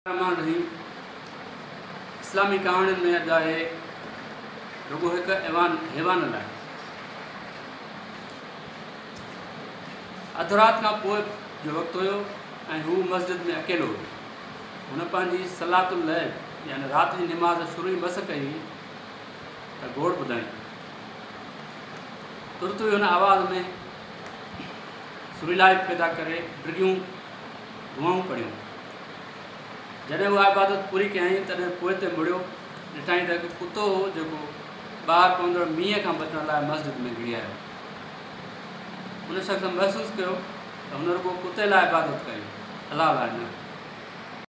الرحمٰن الرحيم اسلامي ڪهاڻين ۾ اڄ آهي رڳو هڪ ايوان حيوان لاء اڌ رات کان پوء جو وقت هيو ۽ هو مسجد ۾ اڪيلو هيو. هن پنهنجي صلاة الليل يعني رات جي نماز شروع ئي مس ڪئي هئي ته گوڙ ٻڌائين. ترت ئي هن آواز ۾ سريلائپ پيدا ڪري ڊگهيون دعائون پڙهيون. جڏهن اها عبادت پوري ڪيائين، تڏهن پوئتي مڙيو، ڏٺائين ته هڪ ڪتو هو، جيڪو ٻاهر پوندڙ مينهن کان بچڻ لاء مسجد ۾ گهڙي آيو. ان شخص محسوس ڪيو ته هن رڳو ڪتي لاء عبادت ڪئي، الله لاء نه.